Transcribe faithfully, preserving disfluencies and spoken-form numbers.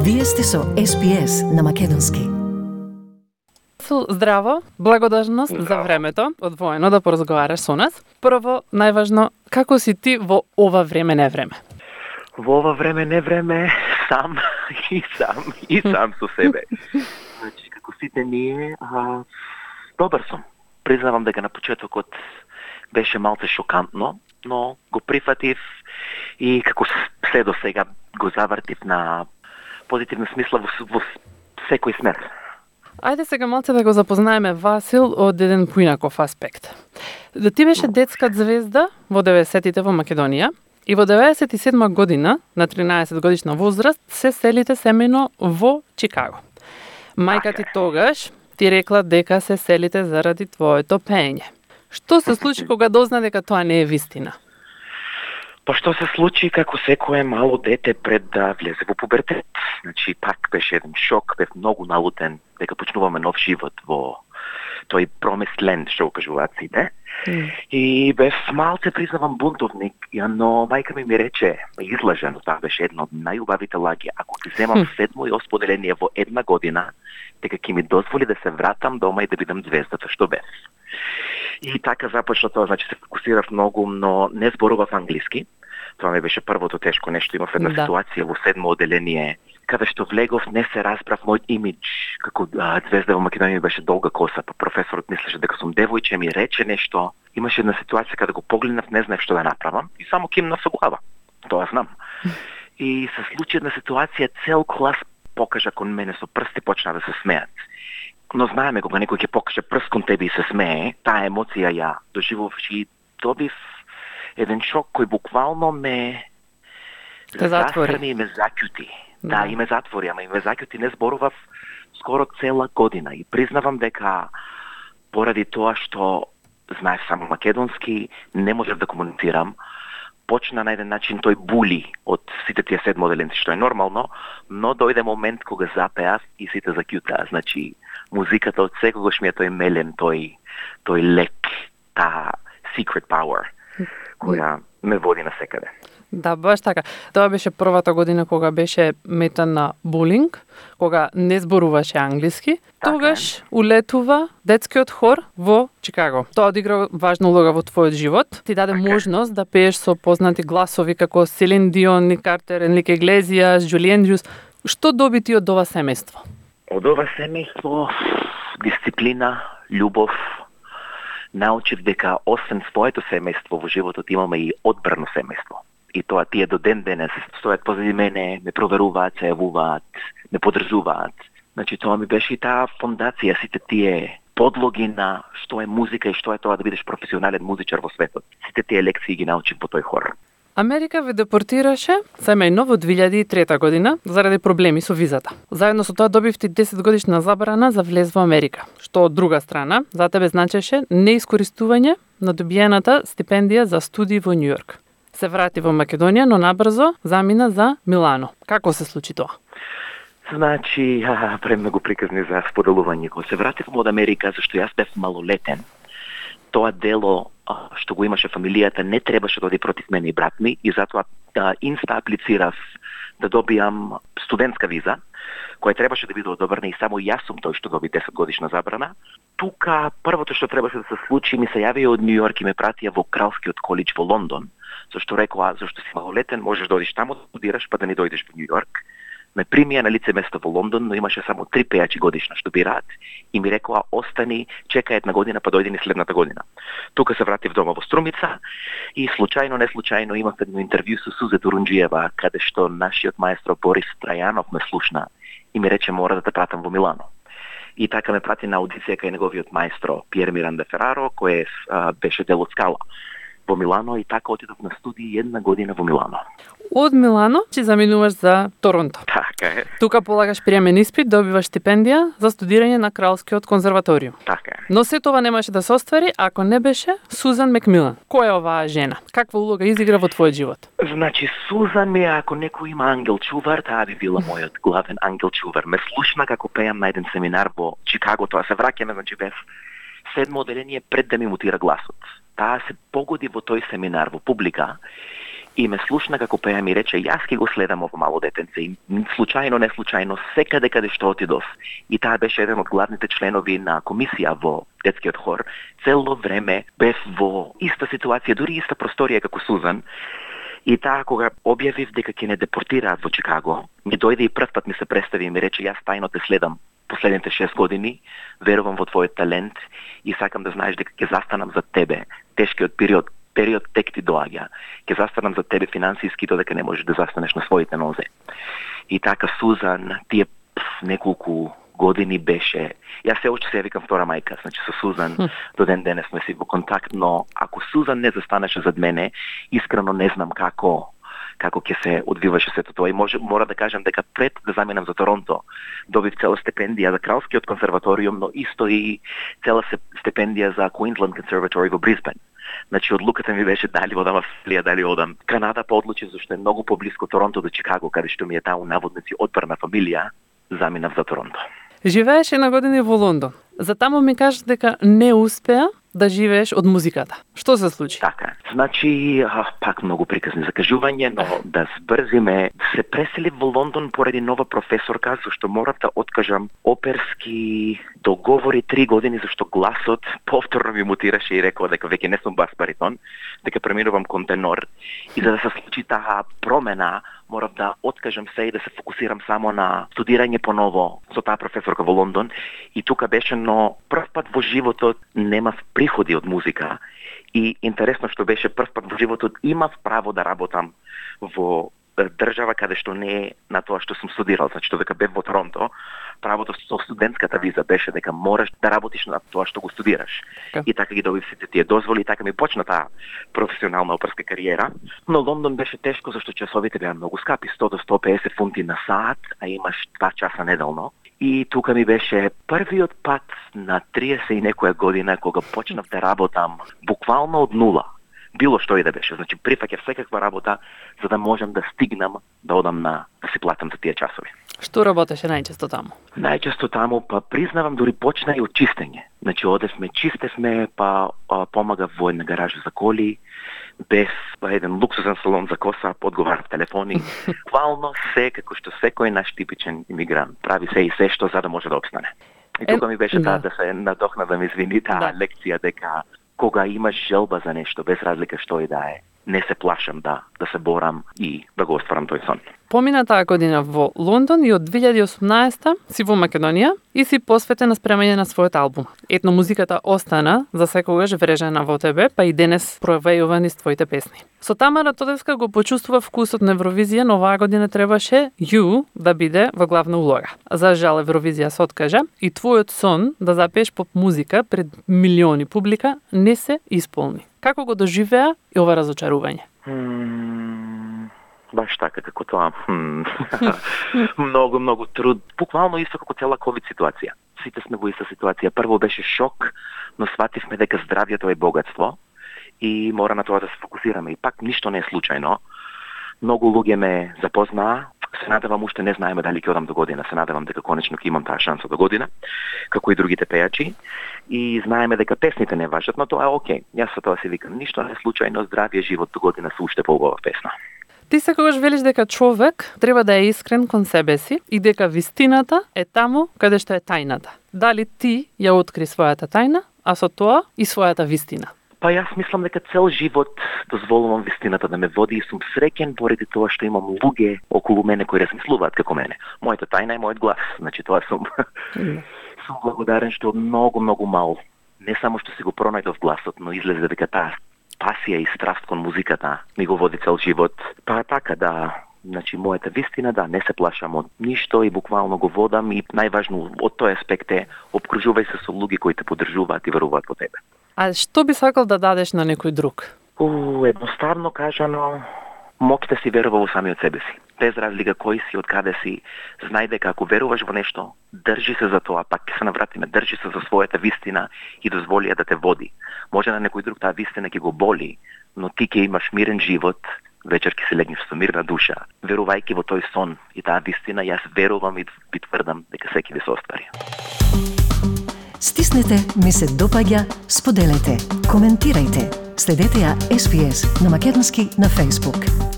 Вие сте со Ес Би Ес на Македонски. Здраво, благодарност Здраво. За времето одвоено да поразговараш со нас. Прво, најважно, како си ти во ова време не време? Во ова време не време сам и сам и сам со себе. Значи, како сите ние, а, добар сум. Признавам дека на почетокот беше малце шокантно, но го прифатив и како се до сега го завртив на позитивна смисла во, во секој смер. Ајде сега малце да го запознаеме Васил од еден поинаков аспект. Да ти беше детска звезда во деветдесетите во Македонија и во деветдесет и седма година, на тринаесет годишна возраст, се селите семејно во Чикаго. Мајка ти тогаш ти рекла дека се селите заради твоето пеење. Што се случи кога дозна дека тоа не е вистина? Па што се случи како секое мало дете пред да влезе во пубертет. Значи, пак беше еден шок, бев многу налутен дека почнуваме нов живот во тој promised land, што го кажуваат сите. Mm. И бев малце, признавам, бунтовник, но мајка ми ми рече, излажено, тоа беше едно од најубавите лаги, ако ти земам mm. седмо и осмо деление во една година, дека ќе ми дозволи да се вратам дома и да бидам звездата што бев. И така започна тоа, значи се фокусирав многу, но не зборував англиски. Тоа ми беше првото тешко нешто. Имав една да. ситуација во седмо оделение, каде што влегов, не се разбрав мојот имидж. Како а, звезда во Македонија беше долга коса, па професорот мислеше дека сум девојче, ми рече нешто. Имаше една ситуација каде го погледнав, не знаев што да направам и само кимнав со глава. Тоа знам. И се случи една ситуација, цел клас покажа кон мене со прсти, почна да се смеат. Но знаеме кога некој ќе покаже прст кон тебе и се смее, таа емоција ја доживував и добив еден шок кој буквално ме застрани и ме закјути. Да, да, и ме затвори, ама и ме закјути, не зборував скоро цела година. И признавам дека поради тоа што знаев само македонски, не можев да комуницирам, почна на еден начин тој були од сите тие седмоделенци, што е нормално, но дојде момент кога запеав и сите закјутаа. Значи, музиката од секогаш ми е тој мелен, тој, тој лек, таа secret power, која ме води на секаде. Да, баш така. Тоа беше првата година кога беше метан на булинг, кога не зборуваше англиски. Така тогаш улетува детскиот хор во Чикаго. Тоа одигра важна улога во твојот живот. Ти даде така можност да пееш со познати гласови како Селин Дион, Ник Картер, Енрике Иглезиас, Джули Ендрюс. Што доби ти од ова семејство? Од ова семејство дисциплина, љубов. Научив дека освен своето семејство во животот имаме и одбрано семејство. И тоа тие до ден денес стојат позади мене, ме проверуваат, се јавуваат, ме подрзуваат. Значи тоа ми беше и таа фондација, сите тие подлоги на што е музика и што е тоа да бидеш професионален музичар во светот. Сите тие лекции ги научив во тој хор. Америка ве депортираше семејно во две илјади и трета година заради проблеми со визата. Заедно со тоа добивте десет годишна забрана за влез во Америка, што од друга страна за тебе значеше неискористување на добиената стипендија за студии во Њујорк. Се врати во Македонија, но набрзо замина за Милано. Како се случи тоа? Значи, а, премногу приказни за споделување. Кога се вратив од Америка, зашто јас бев малолетен, тоа дело што го имаше фамилијата не требаше да оди против мене и брат ми и затоа да инста аплицирав да добијам студентска виза, која требаше да биде одобрена и само јас сум тој што доби десет годишна забрана. Тука првото што требаше да се случи, ми се јавија од Њујорк и ме пратија во Кралскиот колидж во Лондон, зашто рекоа, зашто си малолетен, можеш да одиш таму да студираш, па да не дојдеш во Њујорк. Ме примија на лице место во Лондон, но имаше само три пејачи годишна што бираат и ми рекоа остани, чека една година па дојди ни следната година. Тука се вратив дома во Струмица и случајно, не случајно имав едно интервју со Сузе Турунџиева, каде што нашиот маестро Борис Трајанов ме слушна и ми рече мора да те пратам во Милано. И така ме прати на аудиција кај неговиот маестро Пиер Миранде Фераро, кој а, беше дел од Скала во Милано и така отидов на студии една година во Милано. Од Милано ќе заминуваш за Торонто. Така е. Тука полагаш приемен испит, добиваш стипендија за студирање на Кралскиот конзерваториум. Така е. Но се тоа не можеше да се оствари ако не беше Сузан Макмилан. Која е оваа жена? Каква улога изигра во твојот живот? Значи, Сузан ми, ако некој има ангел чувар, таа би била мојот главен ангел чувар. Ме слушна како пеам на еден семинар во Чикаго, тоа се враќаме, значи бев седмо оделение пред да ми мутира гласот. Таа се погоди во тој семинар во публика и ме слушна како пеам и рече, јас ќе го следам ово мало детенце. И случајно, не случајно, секаде каде што отидов. И таа беше еден од главните членови на комисија во детскиот хор. Цело време бев во иста ситуација, дури иста просторија како Сузан. И таа кога објавив дека ќе не депортираат во Чикаго, ми дојде и прв пат ми се представи и ми рече, јас тајно те следам последните шест години, верувам во твојот талент и сакам да знаеш дека ќе застанам за тебе. Тешкиот период, период тек ти доаѓа. Ќе застанам за тебе финансиски, додека не можеш да застанеш на своите нозе. И така Сузан, тие пф, неколку години беше. Јас се уште се викам втора мајка, значи со Сузан mm. до ден денес сме си во контакт, но ако Сузан не застанеше зад мене, искрено не знам како како ќе се одвиваше сето тоа. И може, мора да кажам дека пред да заминам за Торонто, добив цела стипендија за Кралскиот консерваториум, но исто и цела стипендија за Queensland Conservatory во Брисбен. Значи, одлуката ми беше дали одам Австралија, дали одам Канада, па одлучи зашто е многу поблиско Торонто до Чикаго, каде што ми е таа наводници одбрана фамилија, заминав за Торонто. Живееш една година во Лондон. За таму ми кажеш дека не успеа да живееш од музиката. Што се случи? Така. Значи, а, пак многу приказни закажување, но да збрзиме, се преселив во Лондон поради нова професорка, зашто морав да откажам оперски договори три години, зашто гласот повторно ми мутираше и рекол дека веќе не сум бас баритон, дека преминувам кон тенор. И за да се случи таа промена, морав да откажам се и да се фокусирам само на студирање поново со таа професорка во Лондон. И тука беше, но прв пат во животот немав приходи од музика. И интересно што беше прв пат во животот имав право да работам во држава каде што не е на тоа што сум студирал. Значи, додека бев во Торонто, правото со студентската виза беше дека мораш да работиш на тоа што го студираш. Okay. И така ги добив сите тие дозволи, и така ми почна таа професионална оперска кариера. Но Лондон беше тешко, зашто часовите беа многу скапи, сто до сто и песет фунти на саат, а имаш два часа неделно. И тука ми беше првиот пат на триесет и некоја година кога почнав да работам буквално од нула. Било што и да беше. Значи, прифаќав секаква работа за да можам да стигнам да одам на да си платам за тие часови. Што работеше најчесто таму? Најчесто таму, па признавам, дури почна и од чистење. Значи, одевме, чистевме, па а, помагав во една гаража за коли, без па, еден луксузен салон за коса, подговарав телефони. Буквално се, како што секој наш типичен имигрант прави се и се што за да може да обстане. И тука ми беше таа да се надохна да ми извини таа да. лекција дека кога имаш желба за нешто, без разлика што и да е, не се плашам да да се борам и да го остварам тој сон. Помина таа година во Лондон и од две илјади и осумнаесета си во Македонија и си посветен на спремање на својот албум. Етно музиката остана за секогаш врежена во тебе, па и денес провејува низ твоите песни. Со Тамара Тодевска го почувствува вкусот на Евровизија, но оваа година требаше You да биде во главна улога. За жал Евровизија се откажа и твојот сон да запееш поп музика пред милиони публика не се исполни. Како го доживеа и ова разочарување? Hmm, баш така, како тоа. Многу, многу труд. Буквално исто како цела ковид ситуација. Сите сме во иста ситуација. Прво беше шок, но свативме дека здравјето е богатство и мора на тоа да се фокусираме. И пак ништо не е случајно. Многу луѓе ме запознаа. Се надевам, уште не знаеме дали ќе одам до година. Се надевам дека конечно ќе имам таа шанса до година, како и другите пејачи. И знаеме дека песните не важат, но тоа е окей. Јас со тоа си викам, ништо не е случајно, здравје живот до година се уште поубава песна. Ти секогаш велиш дека човек треба да е искрен кон себе си и дека вистината е таму каде што е тајната. Дали ти ја откри својата тајна, а со тоа и својата вистина? Па јас мислам дека цел живот дозволувам вистината да ме води и сум среќен поради тоа што имам луѓе околу мене кои размислуваат како мене. Мојата тајна е мојот глас. Значи тоа сум mm. сум благодарен што многу многу мал не само што си го пронајдов гласот, но излезе дека таа пасија и страст кон музиката ми го води цел живот. Па така да, значи мојата вистина да не се плашам од ништо и буквално го водам и најважно од тој аспект е обкружувај се со луѓе кои те поддржуваат и веруваат во тебе. А што би сакал да дадеш на некој друг? У, едноставно кажано, моќ да си верува во самиот себе си. Без разлика кој си, од каде си, знај дека ако веруваш во нешто, држи се за тоа, пак ќе се навратиме, држи се за својата вистина и дозволи ја да те води. Може на некој друг таа вистина ќе го боли, но ти ќе имаш мирен живот, вечер ќе се легнеш со мирна душа. Верувајќи во тој сон и таа вистина, јас верувам и би тврдам дека секи ви се оствари. Стиснете, ми се допаѓа, споделете, коментирајте. Следете ја Ес Би Ес на македонски на Facebook.